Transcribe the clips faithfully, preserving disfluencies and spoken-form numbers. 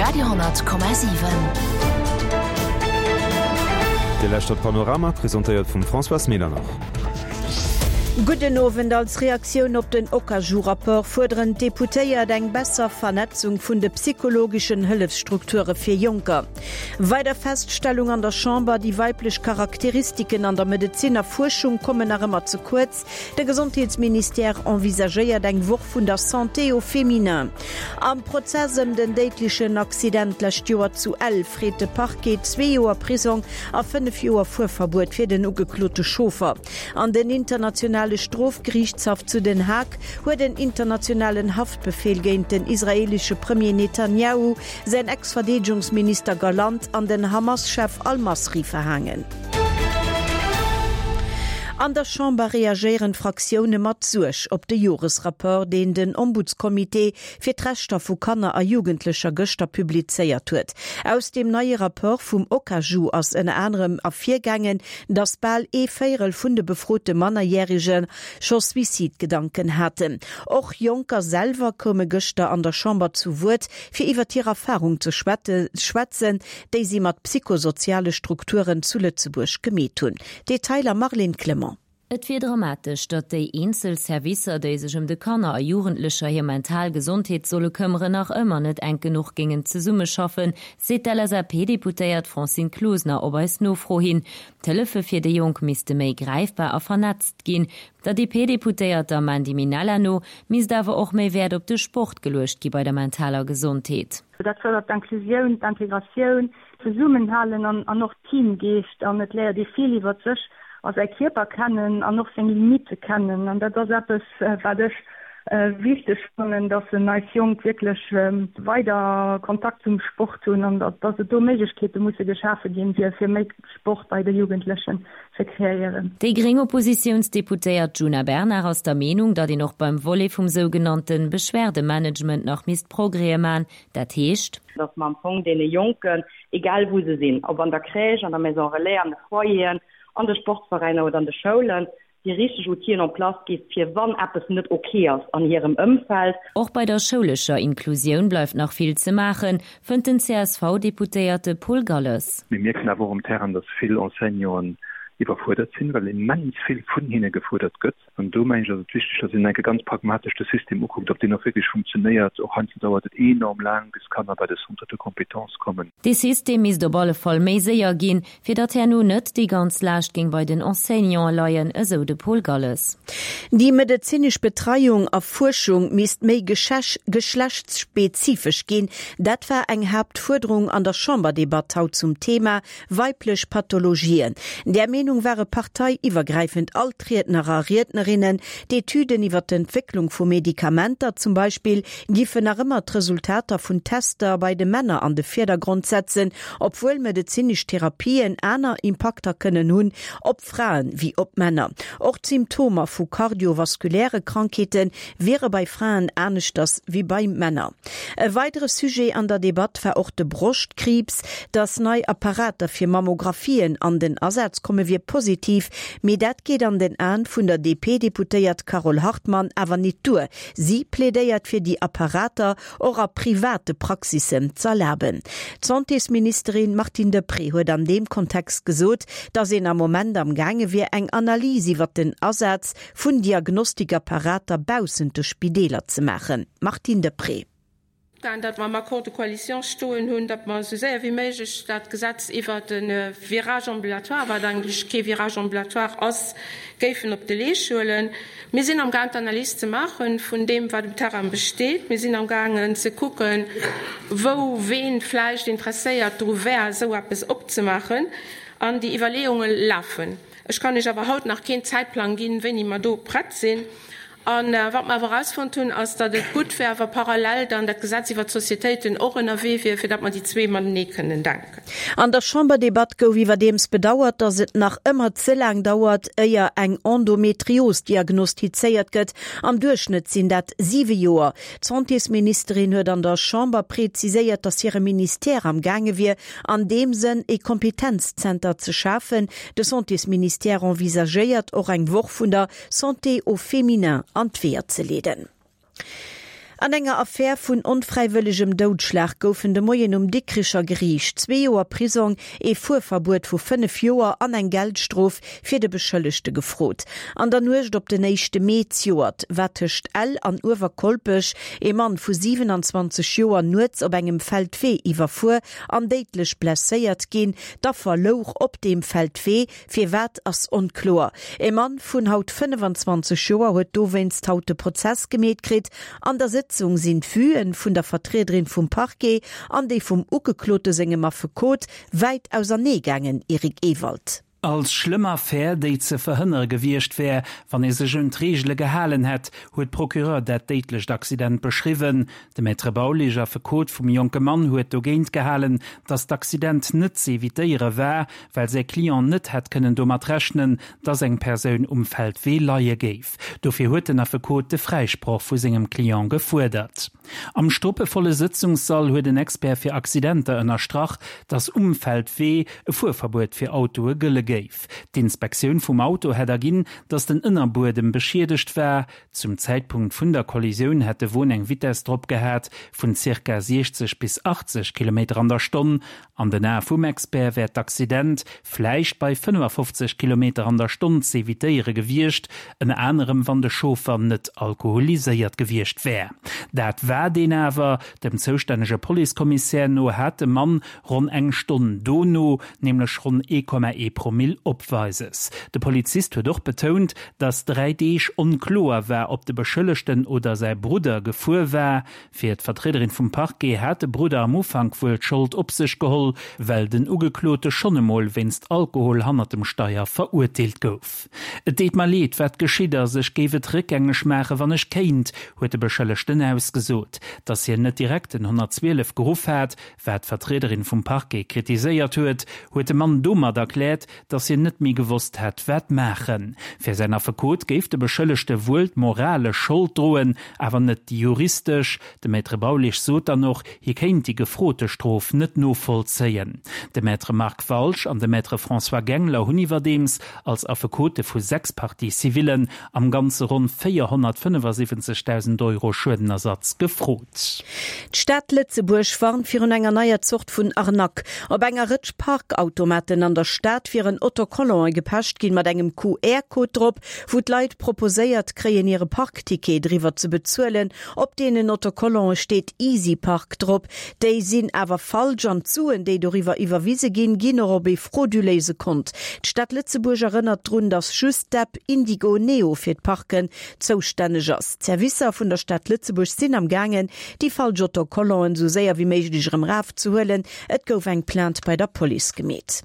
Radio honnert Komma siwen. Dir lauschtert Panorama, presentéiert vum Françoise Medernach. Gudden Owend. Als Reaktioun op den Ocajou-Rapport fuerderen d'Deputéiert eng besser Vernetzung vun de psychologeschen Hëllefsstrukture fir Jonker. Weider Feststellung an der Chamber, Déi weiblech Charakteristiken an der Medezin a Fuerschung kommen nach ëmmer ze kuerz. De Gesondheetsministère envisagéiert eng Woch vun der Santé au féminin. Am Prozess ëm den déidlechen Accident d'lescht Joer zu Ell freet de Parquet zwee Joer Prisong a fënnef Joer Fuerverbuet fir den ugeklote Chauffer. An den Internationale Strofgeriichtshaff zu Den Haag huet en internationalen Haftbefeel géint den israeelesche Premier Netanjahu, säin Ex-Verdeedegungsminister Gallant an den Hamas-Chef Al-Masri verhaangen. An der Chamber reagéieren d'Fraktioune mat Suerg op de Joresrapport, deen den Ombudscomité fir d'Rechter vu Kanner a Jugendlecher gëschter publizéiert huet. Aus deem neie Rapport vum Ocajou ass ënner anerem ervirgaangen, datt bal ee Véierel vun de befrote Mannerjärege scho Suizidgedanken haten. Och Jonker selwer koume gëschter an der Chamber zu Wuert, fir iwwer hir Erfarung ze schwätzen, déi si mat psychosoziale Strukturen zu Lëtzebuerg gemeet hunn. Detailer Marlene Clement. Et wier dramatesch, datt déi eenzel Servicer, déi sech ëm de Kanner a Jugendlecher hir mental Gesondheet solle këmmeren, nach ëmmer net enk genuch géingen zesummeschaffen, seet d'LSAP-Deputéiert Francine Closener op eis Nofro hin. D'Hëllefe fir déi Jonk misste méi gräifbar a vernetzt ginn. Der D P-Deputéierter Mandy Minella no misst awer och méi Wäert op de Sport geluecht gi bei der mentaler Gesondheet. Dat fërdert d'Inklusioun, d'Integratioun, d'Zesummenhalen an, an och Teamgeescht an et léiert ee vill iwwer sech a säi Kierper kennen an och seng Limitte kennen. An dat ass eppes, wat ech wichteg fannen, dass en eis Jonk wierklech weider Kontakt zum Sport hunn an dass et do Méiglechkeete musse geschafe ginn, fir fir méi Sport bei de Jugendlechen ze kreéieren. Déi gréng Oppositiounsdeputéiert Djuna Bernard ass der Meenung, datt een och beim Volet vum sougenannte Beschwerdemanagement nach misst Progrèse man. Dat heescht, datt mer am Fong deene Jonken, egal wou se sinn, ob an der Crèche, an der Maison Relais, an de Foyeren, an de Sportveräiner oder an de Schoulen, déi richteg Outile en place gi fir wann eppes net ok ass an hirem Ëmfeld. Och bei der schoulescher Inklusioun bleift nach vill ze maachen, fënnt den C S V-Deputéierte Paul Galles. Mir mierken awer och um Terrain, datt vill Enseignanten iwwerfuerdert sinn, well immens vill vun hinne gefuerdert gëtt. An do mengen ech, ass et wichteg, datt een enke ganz pragmatesch de System ukuckt, ob deen och wierklech funktionéiert. Och heiansdo dauert et enorm laang, bis Kanner bei de Centre de compétences kommen. Dee System misst op alle Fall méi séier ginn, fir datt herno net déi ganz Laascht géing bei den Enseignante leien, esou de Paul Galles. Déi medezinesch Betreiung a Fuerschung misst méi geschlechtsspezifesch ginn. Dat war eng Haaptfuerderung an der Chamberdebatt haut zum Thema weiblech Pathologien. Der Meenung ware parteiiwwergräifend all d'Riedner a Riednerinnen, D'Etüden iwwer d'Entwécklung vu Medikamenter zum Beispill giffen nach ëmmer d'Resultater vun Tester bei de Männer an de Virdergrond setzen, obwuel medezinesch Therapien aner Impakter kënnen hunn op Fraen wéi op Männer. Och d'Symptomer vu kardiovaskuläre Krankheete wiere bei Fraen aneschters wéi bei Männer. E weidere Sujet an der Debatt war och de Broschtkriibs, Dass nei Apparater fir Mammographien an den Asaz komme wier positiv, mee dat geet an den Aen vun der D P-Deputéiert Carole Hartmann awer net duer. Si plädéiert fir déi Apparater och a private Praxissen z'erlaben. D'Santésministerin Martine Deprez huet an deem Kontext gesot, datt een am Moment am gaange wier eng Analys iwwer den Asaz vun Diagnostikapparater baussent de Spideeler ze maachen. Martine Deprez. Dat mer am Accord de coalition stoen hunn, datt mer esou séier wéi méiglech dat Gesetz iwwer de Virage ambulatoire, wat eigentlech kee Virage ambulatoire ass, géifen op de Leescht huelen. Mir sinn am gaang d'Analys ze maache vun deem, wat um Terrain besteet. Mir sinn am gaangen ze kucken, wou ween vläicht interesséiert dru wär, esou eppes opzemaachen. An déi Iwwerleeunge lafen. Ech kann Iech awer haut nach keen Zäitplang ginn, wéini mer do prett sinn. An wat mer awer erausfonnt hunn, ass, datt et gutt wär, wa parallel dann dat Gesetz iwwer d'Societéiten och ënnerwee wier, fir datt mer déi zwee matenee kënnen denken. An der Chamberdebatt gouf iwwerdeems bedauert, datt et nach ëmmer ze laang dauert, éier eng Endometrios diagnostizéiert gëtt. Am Duerchschnëtt sinn dat siwe Joer. D'Santésministerin huet an der Chamber preziséiert, datt hire Ministère am gaange wier, an deem Sënn e Kompetenzzenter ze schafen. De Santésministère envisagéiert och eng Woch vun der Santé au féminin an d'Weeër ze leeden. An enger Affär vun onfräiwëllegem Doudschlag goufen de Moien um Dikricher Geriicht zwee Joer Prisong, ee Fuerverbuet vu fënnef Joer an eng Geldstrof fir de Beschëllegte gefrot. An der Nuecht op den éischte Mee zejoert war tëscht Ell an Uewerkolpech ee Mann vu siwenanzwanzeg Joer nuets op engem Feldwee iwwerfuer an déidlech blesséiert ginn. D'Affer louch op deem Feldwee, firwat ass onkloer. Ee Mann vun haut fënnefenzwanzeg Joer huet dowéinst haut de Prozess gemeet kritt. An der Sëtzung sinn d'Vuen vun der Vertriederin vum Parquet an déi vum Ugeklote sengem Affekot wäit ausernee gaangen, Eric Ewald. Als schlëmm Affär, déi ze verhënnere gewiescht wär, wann ee sech un d'Reegele gehalen hätt, huet d'Procureur dat déidlecht Accident beschriwwen. De Maître Baulisch, Affekot vum jonke Mann, huet dogéint gehalen, datt d'Accident net z'evitéiere war, well säi Client net hätt kënnen domat rechnen, datt eng Persoun um Feldwee leie géif. Dofir huet den Affekot de Fräisproch vu sengem Client gefuerdert. Am struppevolle Sëtzungssall huet en Expert fir Accidenter ënnerstrach, datt um Feldwee e Fuerverbuet fir Autoe gëlle géif. D'Inspektioun vum Auto hätt erginn, datt den Ënnerbuedem beschiedegt war. Zum Zäitpunkt vun der Kollisioun hätt de Won eng Vitess drop gehat vun zirka siechzeg bis achtzeg Kilometer an der Stonn. An den Ae vum Expert wär d'Accident vläicht bei fënnefafofzeg Kilometer an der Stonn z'evitéiere gewiescht, ënner anerem wann de Chauffer net alkoholiséiert gewiescht wär. Dat war deen awer. Dem zoustännege Policekommissär no hat de Mann ronn eng Stonn dono nämlech ronn ee Komma ee Promill opweises. De Polizist huet och betount, datt dräi Deeg onkloer war, ob de Beschëllegten oder säi Brudder gefuer war. Fir d'Vertriederin vum Parquet hat de Brudder am Ufank wuel d'Schold op sech geholl, well den Ugeklote schonn emol wéinst Alkohol hannert dem Steier verurteelt gouf. Et deet mer leed, wat geschitt ass, ech géif et réckgängeg maachen, wann ech kéint, huet de Beschëllegten ausgesot. Datt hien net direkt den honnertzwielef geruff hat, wat d'Vertriederin vum Parquet kritiséiert huet, huet de Mann domat erkläert, datt hien net méi gewosst hätt, wat maachen. Fir säin Affekot géif de Beschëllegte wuel d'moralesch Schold droen, awer net déi juristesch. De Maître Baulisch sot dann och, hie kéint déi gefrote Strof net novollzéien. De Maître Marc Walsch an de Maître François Gengler hunn iwwerdeems als Affekote vu sechs Parties civillen am Ganze ronn véierhonnertfënnefasiwwenzegdausend Euro Schuedenersatz gefrot. D'Stad Lëtzebuerg warnt virun enger neier Zort vun Arnaque. Op enger Rëtsch Parkautomaten an der Stad wieren Autocollante gepecht ginn mat engem Q R-Code drop, wou d'Leit proposéiert kréien, hire Parkticket driwwer ze bezuelen. Op deenen Autocollante steet EasyPark drop. Déi sinn awer falsch an d'Suen, déi doriwwer iwwerwise ginn, ginn och op ee frauduléise Kont. D'Stad Lëtzebuerg erënnert drun, datt just d'App Indigo Neo fir d'Parken zoustänneg ass. D'Servicer vun der Stad Lëtzebuerg sinn am gaangen, déi falsch Autocollanten esou séier wéi méiglech erëm erafzehuelen. Et gouf eng Plainte bei der Police gemeet.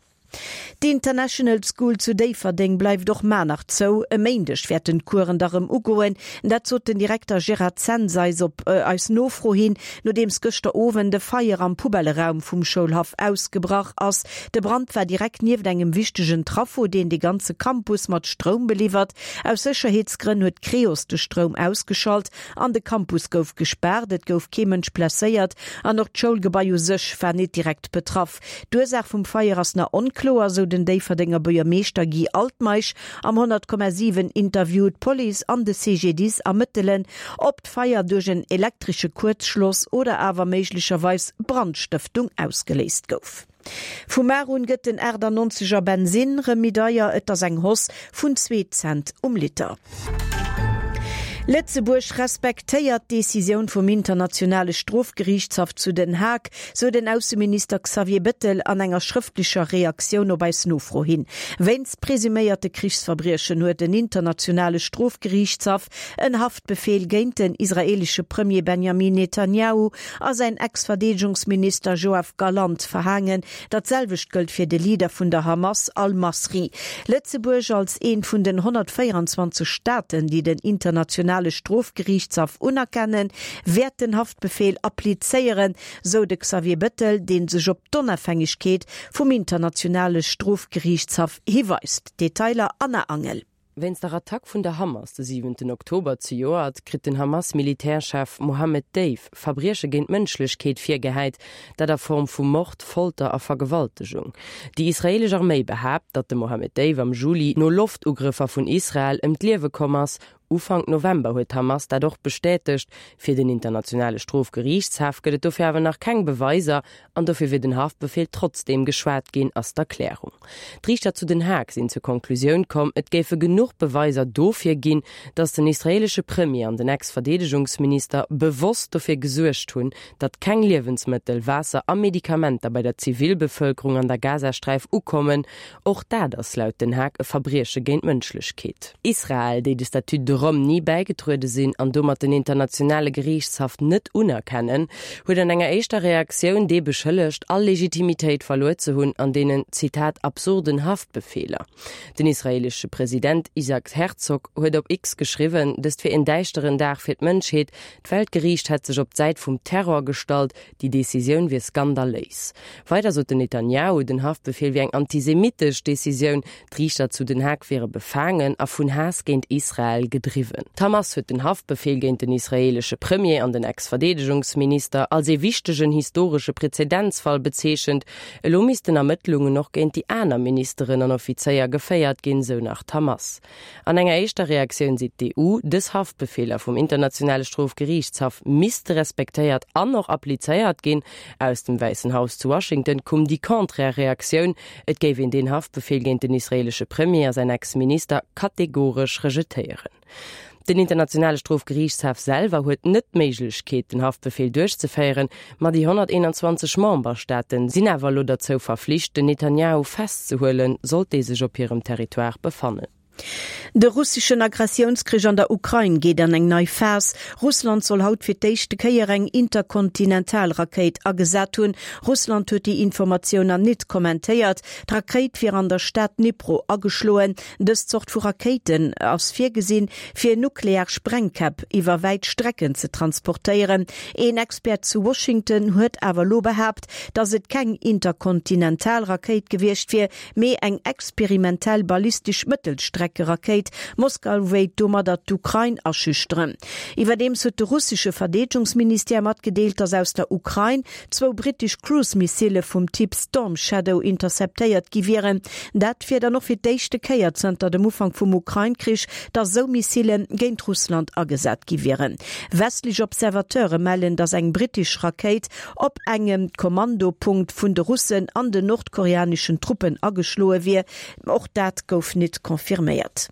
D'International School zu Déifferdeng bleift och mar nach zou. E Méindeg wäerten d'Coursen da rëm ugoen. Dat sot den Direkter Gérard Zens eis op eis Nofro hin, nodeems gëschter Owend e Feier am Poubelleraum vum Schoulhaff ausgebrach ass. De Brand war direkt nieft engem wichtegen Traffo, deen de ganze Campus mat Stroum beliwwert. Aus Sécherheetsgrënn huet d'Creos de Stroum ausgeschalt an de Campus gouf gespaart. Et gouf kee Mënsch blesséiert an och d'Schoulgebai u sech war net direkt betraff. D'Ursaach vum Feier ass nach onkloer, sou den Déifferdenger Buergermeeschter Guy Altmeisch am honnert Komma siwen Interview. D'Police an de C G D I S ermëttelen, ob d'Feier duerch en elektresche Kuerzschloss oder awer méiglecherweis Brandstëftung ausgeléist gouf. Vu mar un gëtt den achtannonzeger Bensinn rëm méi deier, et ass eng Hausse vun zwee Cent um Liter. Lëtzebuerg respektéiert d'Decisioun vum Internationale Strofgeriichtshaff zu Den Haag, sou den Ausseminister Xavier Bettel an enger schrëftlecher Reaktioun op eis Nofro hin. Wéinst presuméierte Krichsverbriechen huet den Internationale Strofgeriichtshaff en Haftbefeel géint den israeelesche Premier Benjamin Netanjahu a säin Ex-Verdeedegungsminister Joav Galant verhaangen. Dat selwecht gëllt fir de Leader vun der Hamas, Al-Masri. Lëtzebuerg als eent vun den honnertvéierenzwanzeg Staaten, déi den Internationale Strofgeriichtshaff unerkennen, wäert den Haftbefeel applizéieren, sou de Xavier Bettel, dee sech op d'Onafhängegkeet vum Internationale Strofgeriichtshaff hiweist. Detailer Anna Angel. Wéinst der Attack vun der Hamas de siwenten Oktober zejoert kritt den Hamas-Militärchef Mohammed Deif Verbrieche géint d'Mënschlechkeet virgehäit, dat a Form vu Mord, Folter a Vergewaltegung. Déi israeelesch Arméi behaapt, datt de Mohammed Deif am Juli no Loftugrëffer vun Israel ëm d'Liewe komm ass. Ufank November huet d'Hamas dat och bestätegt. Fir den Internationale Strofgeriichtshaff gëtt et dofir awer nach keng Beweiser an dofir wier den Haftbefeel trotzdeem geschwat ginn, ass d'Erklärung. D'Riichter zu Den Haag sinn zur Konklusioun komm, et géife genuch Beweiser dofir ginn, datt den israeelesche Premier an den Ex-Verdeedegungsminister bewosst dofir gesuergt hunn, datt keng Liewensmëttel, Waasser a Medikamenter bei der Zivilbevëlkerung an der Gazasträif ukommen. Och dat ass laut Den Haag e Verbrieche géint d'Mënschlechkeet. Israel, déi de Statut de Rome ni bäigetruede sinn an domat den Internationale Geriichtshaff net unerkennen, huet an enger éischter Reaktioun dee beschëllegt, all Legitimitéit verluer ze hunn an deenen, Zitat, absurden Haftbefeeler. Den israeelesche President Isaac Herzog huet op X geschriwwen, dëst wier en däischteren Dag fir d'Mënschheet, d'Weltgeriicht hätt sech op d'Säit vum Terror gestallt, déi Decisioun wier skandaléis. Weider sot den Netanjahu, den Haftbefeel wier eng antisemitesch Decisioun, d'Riichter zu Den Haag wiere befaangen a vun Haass géint Israel gedriwwen. D'Hamas huet den Haftbefeel géint den israeelesche Premier an den Ex-Verdeedegungsminister als ee wichtegen historesche Präzedenzfall bezeechent. Elo missten Ermëttlungen och géint déi aner Ministeren an Offizéier geféiert ginn, sou nach d'Hamas. An enger éischter Reaktioun seet d'EU, dës Haftbefeeler vum Internationale Strofgeriichtshaff misste respektéiert an och applizéiert ginn. Aus dem Wäissen Haus zu Washington koum déi konträr Reaktioun, Et géif een deen Haftbefeel géint den israeelesche Premier a säin Ex-Minister kategoresch rejetéieren. Den Internationale Strofgeriichtshaff selwer huet net d'Méiglechkeet, den Haftbefeel duerchzeféieren, ma déi honnerteenanzwanzeg Memberstaate sinn awer elo derzou verflicht, den Netanjahu festzehuelen, sollt dee sech op hirem Territoire befannen. De russeschen Aggressiounskrich an der Ukrain geet an eng nei Phas. Russland soll haut fir d'éischte Kéier eng Interkontinentalrakéit agesat hunn. Russland huet déi Informatioun an nit kommentéiert. D'Rakéit wier an der Stad Dnipro ageschloen. Dës Zort vu Rakéiten ass virgesinn, fir nuklear Sprengkäpp iwwer wäit Strecken ze transportéieren. Een Expert zu Washington huet awer elo behaapt, datt et keng Interkontinentalrakéit gewiescht wier, mee eng experimentell ballistesch Mëttelstreckerakéit. Moskau wéilt domadder d'Ukrain aschüchteren. Iwwerdeems huet de russesche Verdeedegungsministère matgedeelt, datt aus der Ukrain zwou brittesch Cruise-Missile vum Typ Storm Shadow interceptéiert gi wieren. Dat wier dann och fir d'éischte Kéier zënter dem Ufank vum Ukrain-Krich, datt esou Missile géint Russland agesat gi wieren. Westlech Observateure mellen, datt eng brittesch Rakéit op engem Kommandopunkt vun de Russen an den nordkoreaneschen Truppen ageschloe wier. Och dat gouf nit confirméiert.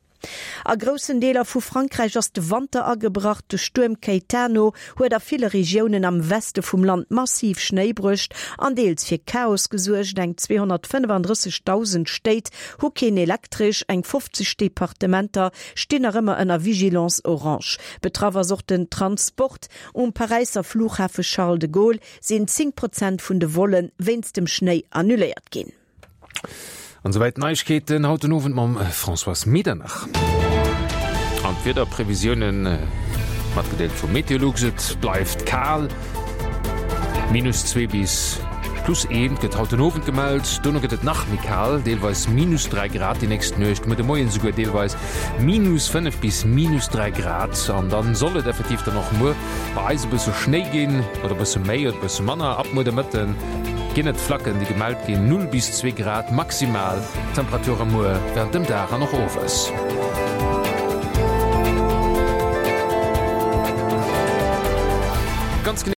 A groussen Deeler vu Frankräich ass de Wanter agebrach. De Stuerm Caetano huet a ville Regiounen am Weste vum Land massiv Schnéi bruecht an deels fir Chaos gesuergt. Eng zweehonnertfënnefandrëssegdausend Stéit hu keen Elektresch, eng fofzeg Departementer stinn nach ëmmer ënner Vigilance orange. Betraff ass och den Transport. Um Paräisser Flughafe Charles de Gaulle sinn zéng Prozent vun de Volle wéinst dem Schnéi annuléiert ginn. An souwäit d'Neiegkeeten haut den Owend mam Françoise Medernach. An d'Wiederprevisiounen, matgedeelt vu Meteolux, Et bleift kal, minus zwee bis plus eent gëtt haut den Owend gemellt. Dono gëtt et nach méi kal, deelweis minus dräi Grad déi nächst Nuecht, muer de Moien esouguer deelweis minus fënnef bis minus dräi Grad. An dann soll et effektiv dann och muer bei eis e bësse Schnéi ginn, oder e bësse méi oder e bësse manner. Ab muer de Mëtte ginn et Flacken, déi gemellt ginn, null bis zwee Grad maximal Temperature muer wärend dem Dag an och owes. Ganz genee.